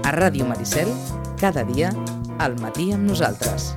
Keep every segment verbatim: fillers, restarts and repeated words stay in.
A Ràdio Maricel, cada dia, al matí amb nosaltres.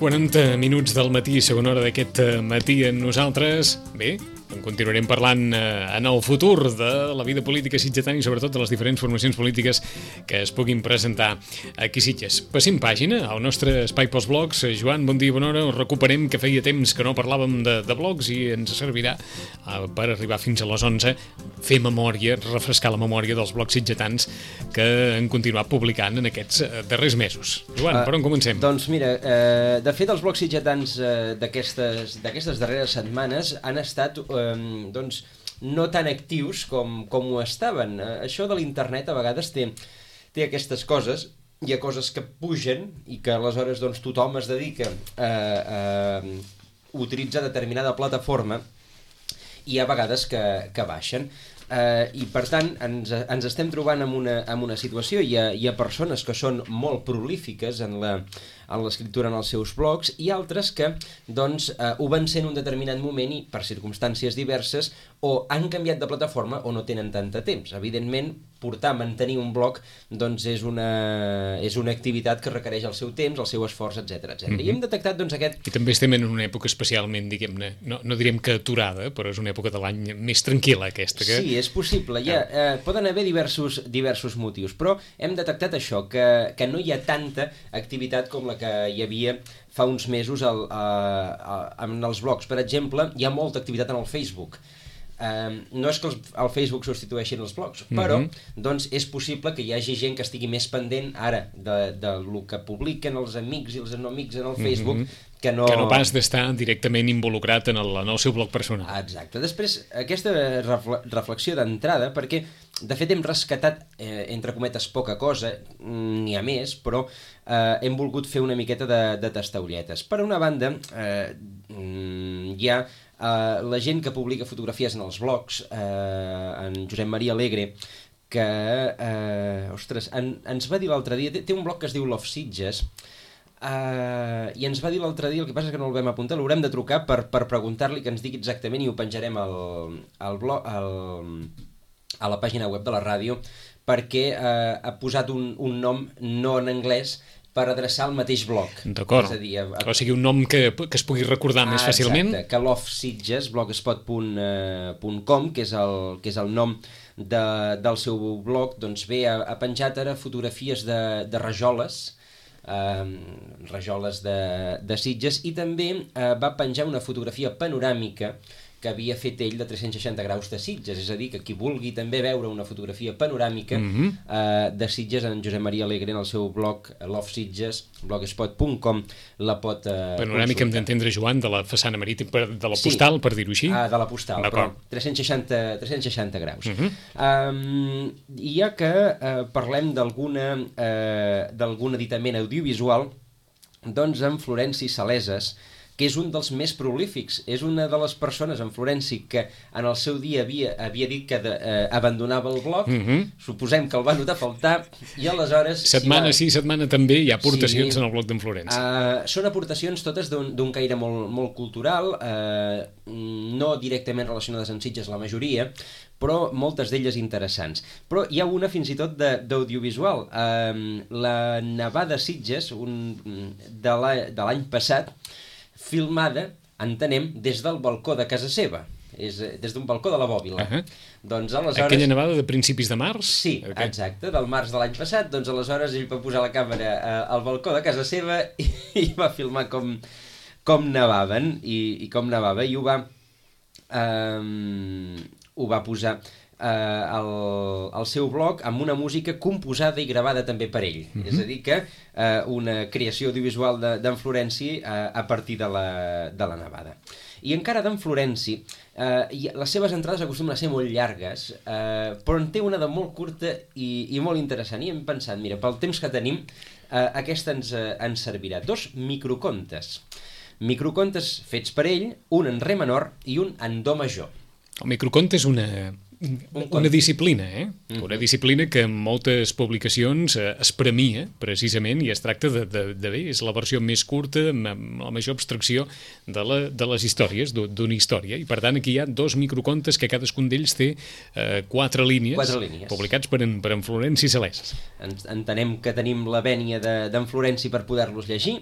quaranta minuts del matí, segona hora d'aquest matí amb nosaltres. Bé, en continuarem parlant eh, en el futur de la vida política sitgetana i sobretot de les diferents formacions polítiques que es puguin presentar aquí a Sitges. Passem pàgina al nostre espai pels blogs. Joan, bon dia, bona hora. Us recuperem que feia temps que no parlàvem de, de blogs i ens servirà eh, per arribar fins a les onze, fer memòria, refrescar la memòria dels blogs sitgetans que han continuat publicant en aquests eh, darrers mesos. Joan, uh, per on comencem? Doncs mira, eh, de fet els blogs sitgetans eh, d'aquestes d'aquestes darreres setmanes han estat eh, doncs no tan actius com, com ho estaven. Eh, això de l'internet a vegades té, té aquestes coses. Hi ha coses que pugen i que aleshores doncs, tothom es dedica a, a utilitzar determinada plataforma i hi ha vegades que, que baixen. Uh, I per tant ens, ens estem trobant en una, en una situació, hi ha, hi ha persones que són molt prolífiques en la en l'escriptura en els seus blogs i altres que doncs, uh, ho van ser en un determinat moment i per circumstàncies diverses o han canviat de plataforma o no tenen tant de temps. Evidentment, portar, mantenir un blog doncs, és, una, és una activitat que requereix el seu temps, el seu esforç, etcètera etcètera. Mm-hmm. I hem detectat doncs, aquest... I també estem en una època especialment, diguem-ne, no, no direm que aturada, però és una època de l'any més tranquil·la aquesta. Que... Sí, és possible. Hi ha, eh, poden haver diversos, diversos motius, però hem detectat això, que, que no hi ha tanta activitat com la que hi havia fa uns mesos al, a, a, en els blogs. Per exemple, hi ha molta activitat en el Facebook. Um, no és que els, el Facebook substitueixin els blogs, però mm-hmm. doncs és possible que hi hagi gent que estigui més pendent ara de, de lo que publiquen els amics i els no amics en el Facebook, mm-hmm. que, no... que no pas d'estar directament involucrat en el, en el seu blog personal. Exacte. Després, aquesta refle reflexió d'entrada, perquè de fet hem rescatat, eh, entre cometes, poca cosa, n'hi ha més, però eh, hem volgut fer una miqueta de, de tastaulletes. Per una banda, eh, hi ha Uh, la gent que publica fotografies en els blogs, uh, en Josep Maria Alegre, que uh, ostres, en, ens va dir l'altre dia, té, té un blog que es diu Love Sitges, uh, i ens va dir l'altre dia, el que passa és que no el vam apuntar, l'haurem de trucar per, per preguntar-li que ens digui exactament i ho penjarem al, al blog, al, a la pàgina web de la ràdio, perquè uh, ha posat un, un nom no en anglès per adreçar el mateix blog. D'acord. És a dir, a... o sigui, un nom que, que es pugui recordar ah, més fàcilment. Exacte, que Love Sitges, blogspot punt com, que és el, que és el nom de, del seu blog, doncs bé, ha, ha penjat ara fotografies de, de rajoles, eh, rajoles de, de Sitges, i també eh, va penjar una fotografia panoràmica que havia fet ell de tres-cents seixanta graus de Sitges, és a dir, que qui vulgui també veure una fotografia panoràmica mm-hmm. eh, de Sitges, en Josep Maria Alegre, en el seu blog Love Sitges, blogspot punt com, la pot eh, panoràmica, hem d'entendre, Joan, de la façana marítima, de la postal, sí, per dir-ho així? Ah, de la postal, però tres-cents seixanta graus. Mm-hmm. um, I ja que eh, parlem d'alguna eh, d'algun editament audiovisual, doncs en Florenci Saleses, que és un dels més prolífics, és una de les persones en Florenci que en el seu dia havia, havia dit que de, eh, abandonava el blog, mm-hmm. suposem que el va notar faltar, i aleshores... Setmana si va... sí, setmana també hi ha aportacions sí, en el blog d'en Florenci. Uh, són aportacions totes d'un caire molt, molt cultural, uh, no directament relacionades amb Sitges la majoria, però moltes d'elles interessants. Però hi ha una fins i tot d'audiovisual. Uh, la Nevada Sitges, un, de l'any passat, filmada, entenem, des del balcó de casa seva, és, des d'un balcó de la Bòbila. Uh-huh. Doncs aleshores... Aquella nevada de principis de març? Sí, okay. Exacte, del març de l'any passat, doncs aleshores ell va posar la càmera eh, al balcó de casa seva i, i va filmar com, com nevaven, i, i com nevava, i ho va, eh, ho va posar eh, al, al seu blog amb una música composada i gravada també per ell. Mm-hmm. És a dir que eh, una creació audiovisual d'en de, Florenci eh, a partir de la, de la nevada. I encara d'en Florenci, eh, les seves entrades acostumen a ser molt llargues, eh, però en té una de molt curta i, i molt interessant. I hem pensat, mira, pel temps que tenim, eh, aquesta ens, eh, ens servirà. Dos microcontes. Microcontes fets per ell, un en re menor i un en do major. El microconte és una, una disciplina, eh? Mm-hmm. Una disciplina que en moltes publicacions eh, es premia, precisament, i es tracta de, de, de bé, és la versió més curta, amb la major abstracció de, la, de les històries, d'una història. I, per tant, aquí hi ha dos microcontes que cadascun d'ells té eh, quatre línies, quatre línies, publicats per en, per en Florenci Saleses. Entenem que tenim la vènia d'en de, Florenci per poder-los llegir.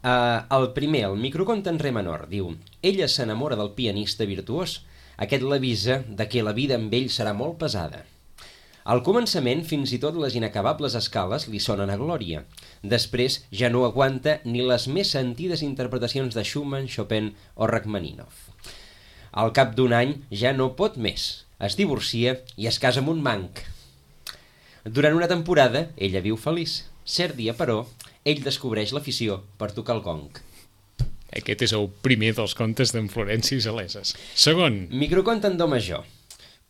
Uh, el primer, el microconte en re menor, diu: ella s'enamora del pianista virtuós. Aquest l'avisa de que la vida amb ell serà molt pesada. Al començament, fins i tot les inacabables escales li sonen a glòria. Després ja no aguanta ni les més sentides interpretacions de Schumann, Chopin o Rachmaninoff. Al cap d'un any ja no pot més. Es divorcia i es casa amb un manc. Durant una temporada, ella viu feliç. Cert dia, però, ell descobreix l'afició per tocar el gong. Aquest és el primer dels contes d'en Florenci Saleses. Segon. Microconte en do major.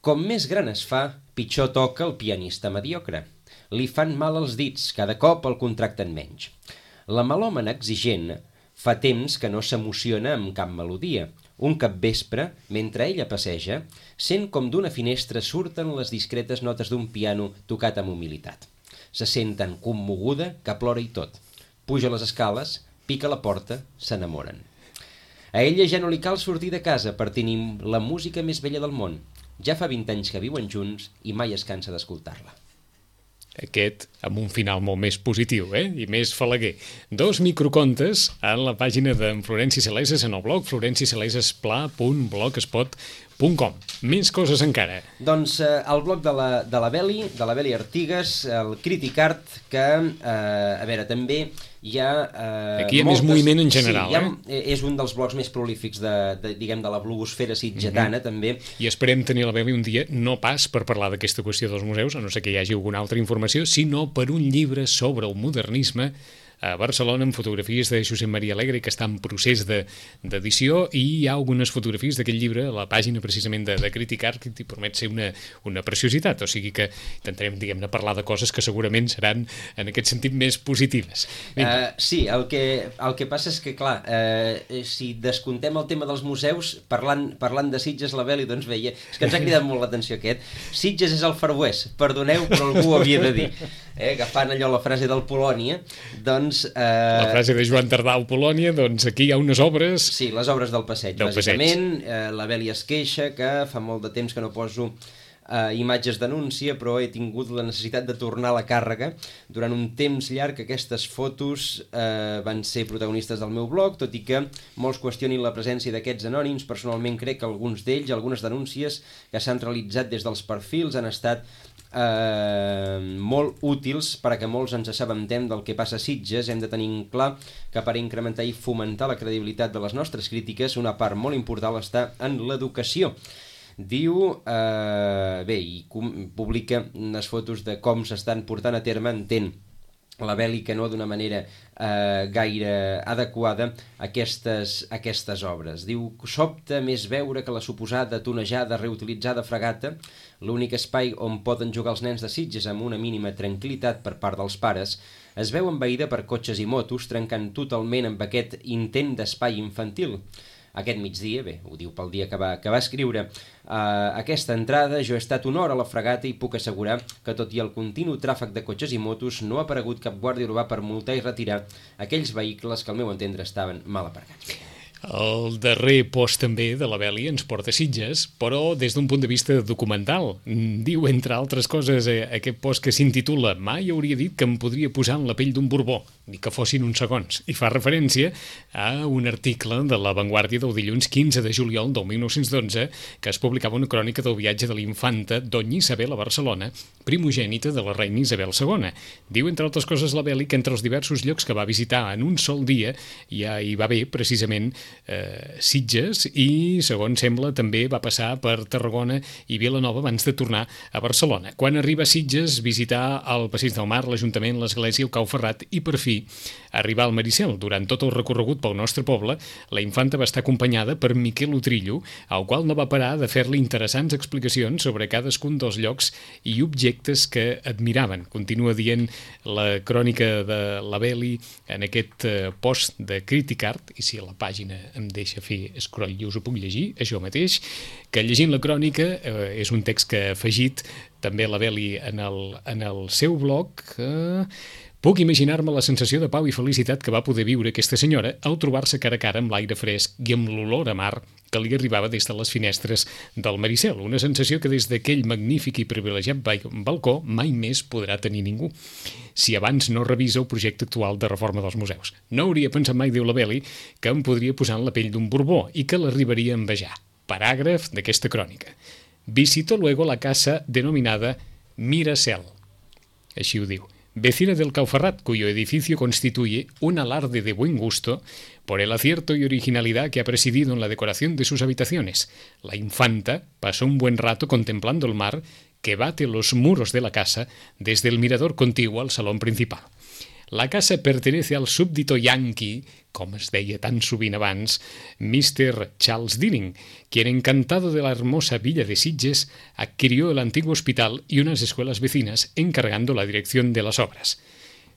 Com més gran es fa, pitjor toca el pianista mediocre. Li fan mal els dits, cada cop el contracten menys. La melòmana exigent fa temps que no s'emociona amb cap melodia. Un capvespre, mentre ella passeja, sent com d'una finestra surten les discretes notes d'un piano tocat amb humilitat. Se sent tan commoguda que plora i tot. Puja les escales, pica la porta, s'enamoren. A ella ja no li cal sortir de casa per tenir la música més bella del món. Ja fa vint anys que viuen junts i mai es cansa d'escoltar-la. Aquest amb un final molt més positiu, eh? I més falaguer. Dos microcontes a la pàgina d'en Florenci Saleses en el blog florencisaleses.pla punt blogspot punt com. Més coses encara. Doncs eh, el blog de la, de la Beli, de la Beli Artigas, el Criticart, que, eh, a veure, també hi ha... Eh, Aquí hi ha moltes... més moviment en general, sí, ha, eh? És un dels blogs més prolífics de, de, diguem, de la blogosfera sitgetana, mm-hmm. també. I esperem tenir la Beli un dia, no pas per parlar d'aquesta qüestió dels museus, a no ser que hi hagi alguna altra informació, sinó per un llibre sobre el modernisme a Barcelona, amb fotografies de Josep Maria Alegre, que està en procés d'edició, de, i hi ha algunes fotografies d'aquest llibre a la pàgina precisament de, de Criticart, que t'hi promet ser una, una preciositat, o sigui que intentarem, diguem-ne, parlar de coses que segurament seran en aquest sentit més positives. Uh, sí, el que, el que passa és que, clar, uh, si descontem el tema dels museus, parlant, parlant de Sitges, la Beli, doncs veia, és que ens ha cridat molt l'atenció aquest. Sitges és el Far West, perdoneu, però algú ho havia de dir. Eh, agafant allò la frase del Polònia, doncs... Eh... La frase de Joan Tardà al Polònia, doncs aquí hi ha unes obres... Sí, les obres del passeig, del bàsicament. Passeig. Eh, la Beli es queixa que fa molt de temps que no poso eh, imatges d'anúncia, però he tingut la necessitat de tornar a la càrrega. Durant un temps llarg aquestes fotos eh, van ser protagonistes del meu blog, tot i que molts qüestionin la presència d'aquests anònims. Personalment crec que alguns d'ells, algunes denúncies que s'han realitzat des dels perfils han estat Eh, molt útils per a que molts ens assabentem del que passa a Sitges. Hem de tenir clar que per incrementar i fomentar la credibilitat de les nostres crítiques, una part molt important està en l'educació. Diu, eh, bé, i publica unes fotos de com s'estan portant a terme, entén la Beli que no d'una manera eh, gaire adequada aquestes, aquestes obres. Diu, sobta més veure que la suposada tonejada reutilitzada fregata, l'únic espai on poden jugar els nens de Sitges amb una mínima tranquil·litat per part dels pares, es veu envaïda per cotxes i motos, trencant totalment amb aquest intent d'espai infantil. Aquest migdia, bé, ho diu pel dia que va, que va escriure, uh, aquesta entrada jo he estat una hora a la fregata i puc assegurar que tot i el continu tràfic de cotxes i motos no ha aparegut cap guàrdia urbà per multar i retirar aquells vehicles que al meu entendre estaven mal aparcats. El darrer post també de la Beli ens porta a Sitges, però des d'un punt de vista documental. Diu, entre altres coses, aquest post que s'intitula Mai hauria dit que em podria posar en la pell d'un Borbó, ni que fossin uns segons, i fa referència a un article de La Vanguardia del dilluns quinze de juliol del mil nou-cents dotze que es publicava una crònica del viatge de l'infanta Doña Isabel a Barcelona, primogènita de la reina Isabel segona. Diu, entre altres coses, la Beli, que entre els diversos llocs que va visitar en un sol dia ja hi va haver, precisament, eh, Sitges i, segons sembla, també va passar per Tarragona i Vilanova abans de tornar a Barcelona. Quan arriba a Sitges, visitar el Passeig del Mar, l'Ajuntament, l'Església, el Cau Ferrat i, per fi, arribar al Maricel. Durant tot el recorregut pel nostre poble, la infanta va estar acompanyada per Miquel Utrillo, al qual no va parar de fer-li interessants explicacions sobre cadascun dels llocs i objectes que admiraven. Continua dient la crònica de la Beli en aquest post de Criticart, i si la pàgina em deixa fer scroll i us ho puc llegir, això mateix, que llegint la crònica, eh, és un text que ha afegit també la Beli en el, en el seu blog, eh, puc imaginar-me la sensació de pau i felicitat que va poder viure aquesta senyora al trobar-se cara a cara amb l'aire fresc i amb l'olor a mar que li arribava des de les finestres del Maricel. Una sensació que des d'aquell magnífic i privilegiat balcó mai més podrà tenir ningú, si abans no revisa el projecte actual de reforma dels museus. No hauria pensat mai, diu la Beli, que em podria posar en la pell d'un Borbó i que l'arribaria a envejar. Paràgraf d'aquesta crònica. Visito luego la casa denominada Miracel. Així ho diu. Vecina del Cau Ferrat, cuyo edificio constituye un alarde de buen gusto por el acierto y originalidad que ha presidido en la decoración de sus habitaciones. La infanta pasó un buen rato contemplando el mar que bate los muros de la casa desde el mirador contiguo al salón principal. La casa pertenece al súbdito yankee, com es deia tan sovint abans, mister Charles Dealing, quien, encantado de la hermosa villa de Sitges, adquirió el antiguo hospital y unas escuelas vecinas, encargando la dirección de las obras.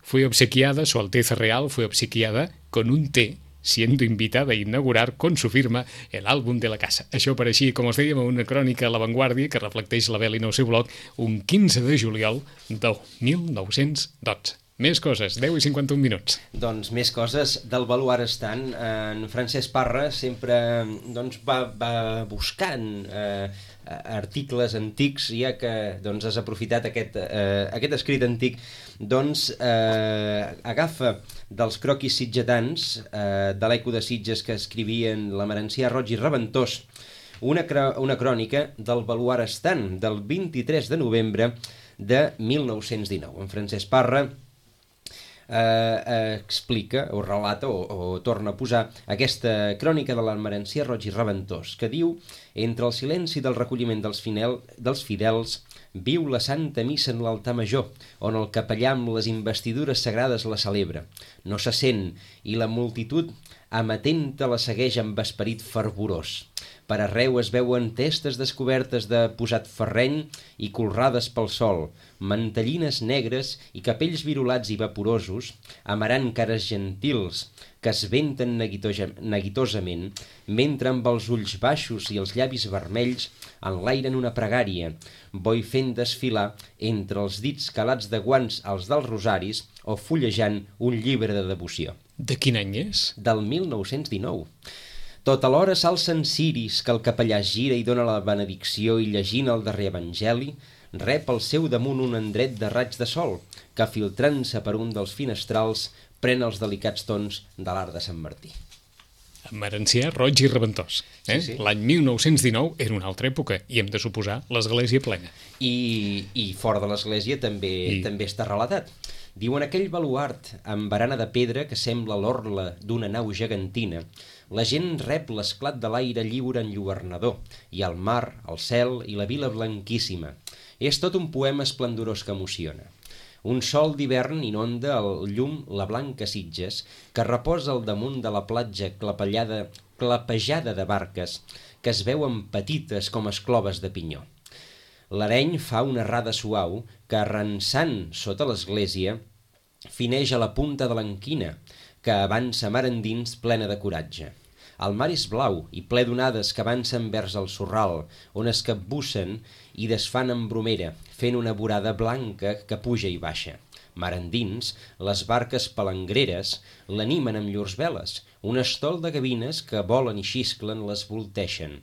Fue obsequiada, Su Alteza Real fue obsequiada con un té, siendo invitada a inaugurar con su firma el àlbum de la casa. Això apareixia, com us dèiem, una crònica a La Vanguardia que reflecteix la Beli en el seu blog un quinze de juliol del mil nou-cents dotze. Més coses, deu i cinquanta-un minuts. Doncs més coses del baluart estant. En Francesc Parra sempre doncs, va, va buscant eh, articles antics, ja que doncs, has aprofitat aquest, eh, aquest escrit antic, doncs eh, agafa dels croquis sitgetans eh, de l'Eco de Sitges que escrivien la Merencià Roig i Reventós, una, una crònica del baluart estant del vint-i-tres de novembre de mil nou-cents dinou. En Francesc Parra Eh, eh, explica o relata o, o torna a posar aquesta crònica de l'Almerencià Roig i Reventós que diu: entre el silenci del recolliment dels, finel, dels fidels viu la Santa Missa en l'altar major, on el capellà amb les investidures sagrades la celebra. No se sent i la multitud amatenta la segueix amb esperit fervorós. Per arreu es veuen testes descobertes de posat ferreny i colrades pel sol, mantellines negres i capells virolats i vaporosos, amarant cares gentils que es venten neguitosament, mentre amb els ulls baixos i els llavis vermells enlairen una pregària, boi fent desfilar entre els dits calats de guants als dels rosaris o fullejant un llibre de devoció. De quin any és? Del mil nou-cents dinou. Tot alhora s'alcen ciris que el capellà gira i dona la benedicció i llegint el darrer evangeli rep al seu damunt un endret de raig de sol que filtrant-se per un dels finestrals pren els delicats tons de l'art de Sant Martí. Merencià Roig i Reventós. Eh? Sí, sí. L'any mil nou-cents dinou era una altra època i hem de suposar l'església plena. I, i fora de l'església també, I... també està relatat. Diuen aquell baluart amb barana de pedra que sembla l'orla d'una nau gegantina. La gent rep l'esclat de l'aire lliure enlluernador i el mar, el cel i la vila blanquíssima. És tot un poema esplendorós que emociona. Un sol d'hivern inonda el llum la blanca Sitges que reposa al damunt de la platja clapellada, clapejada de barques que es veuen petites com escloves de pinyó. L'areny fa una rada suau que, arrensant sota l'església, fineix a la punta de l'enquina, que avança mar endins plena de coratge. El mar és blau i ple d'onades que avancen vers el sorral, on es capbussen i desfan en bromera, fent una vorada blanca que puja i baixa. Mar endins, les barques palangreres l'animen amb llurs veles, un estol de gavines que volen i xisclen les volteixen.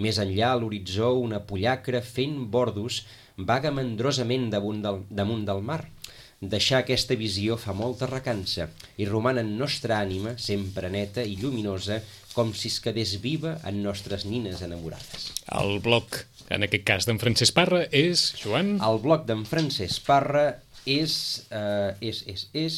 Més enllà, a l'horitzó, una pollacra fent bordos vaga mandrosament damunt del, damunt del mar. Deixar aquesta visió fa molta recança i roman en nostra ànima, sempre neta i lluminosa, com si es quedés viva en nostres nines enamorades. El blog, en aquest cas d'en Francesc Parra, és, Joan? El blog d'en Francesc Parra és, uh, és, és, és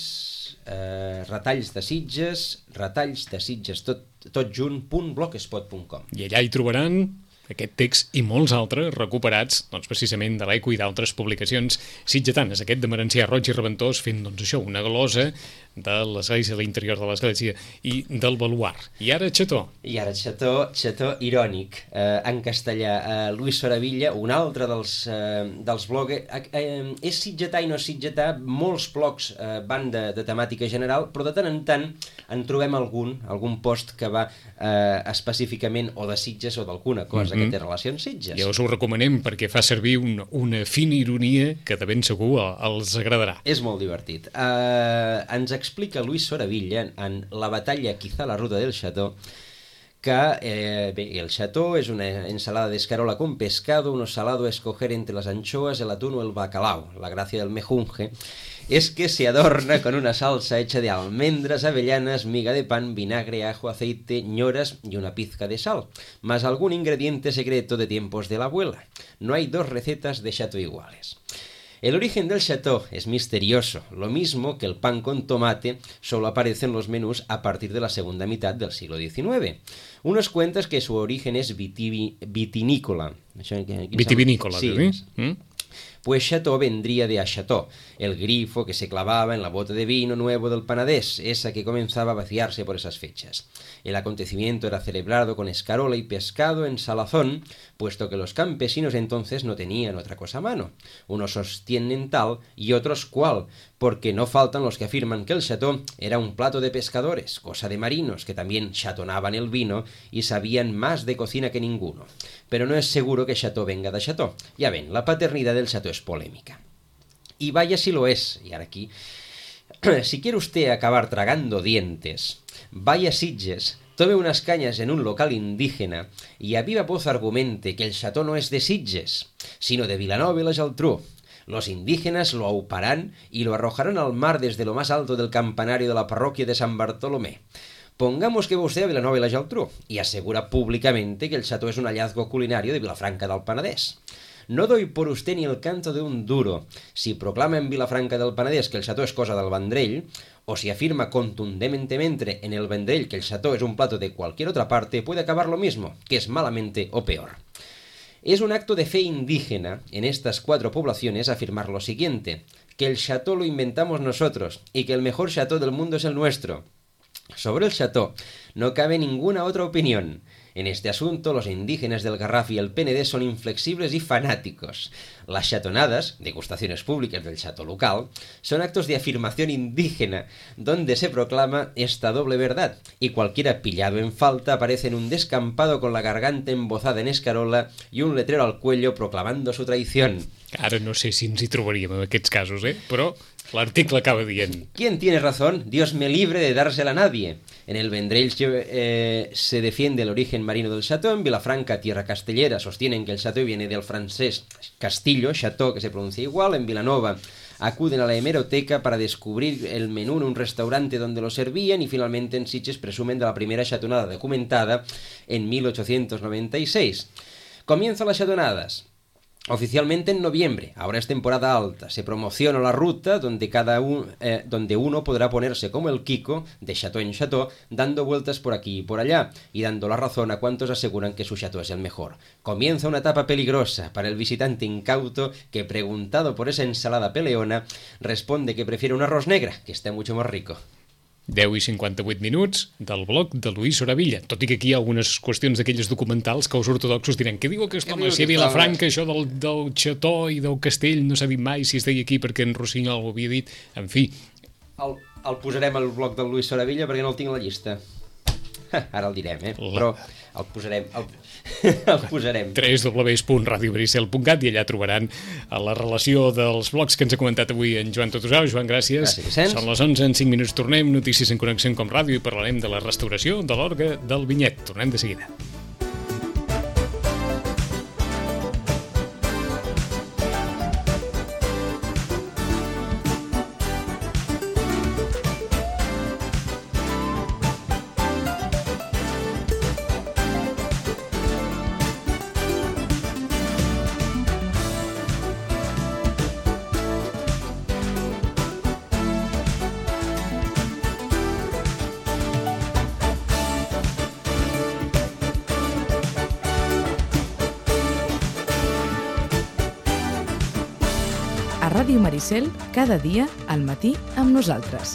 uh, retalls de Sitges, retalls de Sitges, tot, tot junt, punt blogspot punt com. I allà hi trobaran aquest text i molts altres recuperats doncs, precisament de l'Eco i d'altres publicacions sitgetanes. Aquest de Merencià Roig i Reventós fent doncs, això, una glosa de l'església, de l'interior de l'església i del baluart. I ara Xató. I ara Xató, Xató irònic, eh, en castellà. Eh, Luis Soravilla, un altre dels, eh, dels blogs. Eh, eh, és sitgetà i no sitgetà, molts blogs eh, van de, de temàtica general, però de tant en tant en trobem algun, algun post que va eh, específicament o de Sitges o d'alguna cosa mm-hmm. que té relació amb Sitges. Ja us ho recomanem perquè fa servir un, una fina ironia que de ben segur els agradarà. És molt divertit. Eh, ens explica Luis Soravilla en La batalla quizá la ruta del Xató que eh, bé, el Xató es una ensalada de escarola con pescado, uno salado a escoger entre las anchoas, el atún o el bacalao. La gracia del mejunje es que se adorna con una salsa hecha de almendras, avellanas, miga de pan, vinagre, ajo, aceite, ñoras y una pizca de sal, más algún ingrediente secreto de tiempos de la abuela. No hay dos recetas de Xató iguales. El origen del Xató es misterioso, lo mismo que el pan con tomate solo aparece en los menús a partir de la segunda mitad del siglo diecinueve. Unos cuentan que su origen es vitivi, vitinícola. Vitivinícola, sí. ¿Mm? Pues Xató vendría de acható, el grifo que se clavaba en la bota de vino nuevo del panadés, esa que comenzaba a vaciarse por esas fechas. El acontecimiento era celebrado con escarola y pescado en salazón, puesto que los campesinos entonces no tenían otra cosa a mano. Unos sostienen tal y otros cual, porque no faltan los que afirman que el Xató era un plato de pescadores, cosa de marinos, que también chatonaban el vino y sabían más de cocina que ninguno. Pero no es seguro que Xató venga de Xató. Ya ven, la paternidad del Xató es polémica. Y vaya si lo es. Y ahora aquí, si quiere usted acabar tragando dientes, vaya a Sitges, tome unas cañas en un local indígena y a viva voz argumente que el Xató no es de Sitges, sino de Vilanova i la Geltrú. Los indígenas lo auparán y lo arrojarán al mar desde lo más alto del campanario de la parroquia de San Bartolomé. Pongamos que va usted a Vilanova i la Geltrú y asegura públicamente que el Xató es un hallazgo culinario de Vilafranca del Penedès. No doy por usted ni el canto de un duro si proclama en Vilafranca del Penedès que el Xató es cosa del Vendrell, o si afirma contundentemente en el Vendrell que el Xató es un plato de cualquier otra parte, puede acabar lo mismo, que es malamente o peor. Es un acto de fe indígena en estas cuatro poblaciones afirmar lo siguiente, que el Xató lo inventamos nosotros y que el mejor Xató del mundo es el nuestro. Sobre el Xató no cabe ninguna otra opinión. En este asunto, los indígenas del Garraf y el Penedès son inflexibles y fanáticos. Las xatonadas, degustaciones públicas del Xató local, son actos de afirmación indígena, donde se proclama esta doble verdad, y cualquiera pillado en falta aparece en un descampado con la garganta embozada en escarola y un letrero al cuello proclamando su traición. Ara no sé si ens hi trobaríem en aquests casos, eh? Però l'article acaba dient... ¿Quién tiene razón? Dios me libre de dársela a nadie. En el Vendrell eh, se defiende el origen marino del Xató, en Vilafranca, tierra castellera, sostienen que el Xató viene del francés Castillo, Xató, que se pronuncia igual, en Vilanova acuden a la hemeroteca para descubrir el menú en un restaurante donde lo servían y finalmente en Sitges presumen de la primera xatonada documentada en mil ochocientos noventa y seis. Comienzan las xatonadas. Oficialmente en noviembre, ahora es temporada alta, se promociona la ruta donde, cada un, eh, donde uno podrá ponerse como el Kiko, de Xató en Xató, dando vueltas por aquí y por allá, y dando la razón a cuantos aseguran que su Xató es el mejor. Comienza una etapa peligrosa para el visitante incauto que, preguntado por esa ensalada peleona, responde que prefiere un arroz negra, que está mucho más rico. deu i cinquanta-vuit minuts del blog de Luis Soravilla. Tot i que aquí hi ha algunes qüestions d'aquelles documentals que els ortodoxos diran què diu aquest home, si a Vilafranca això del, del Xató i del castell no s'ha dit mai, si es deia aquí perquè en Rossinyol ho havia dit, en fi. El, el posarem al blog del Luis Soravilla perquè no el tinc a la llista. Ara el direm, eh? Però el posarem... El, el posarem. w w w punt radio bricel punt cat i allà trobaran la relació dels blogs que ens ha comentat avui en Joan Totusau. Joan, gràcies. Gràcies, Vicenç. Són les onze, en cinc minuts tornem. Notícies en Connexió com Ràdio i parlarem de la restauració de l'orgue del Vinyet. Tornem de seguida. Ràdio Maricel, cada dia al matí amb nosaltres.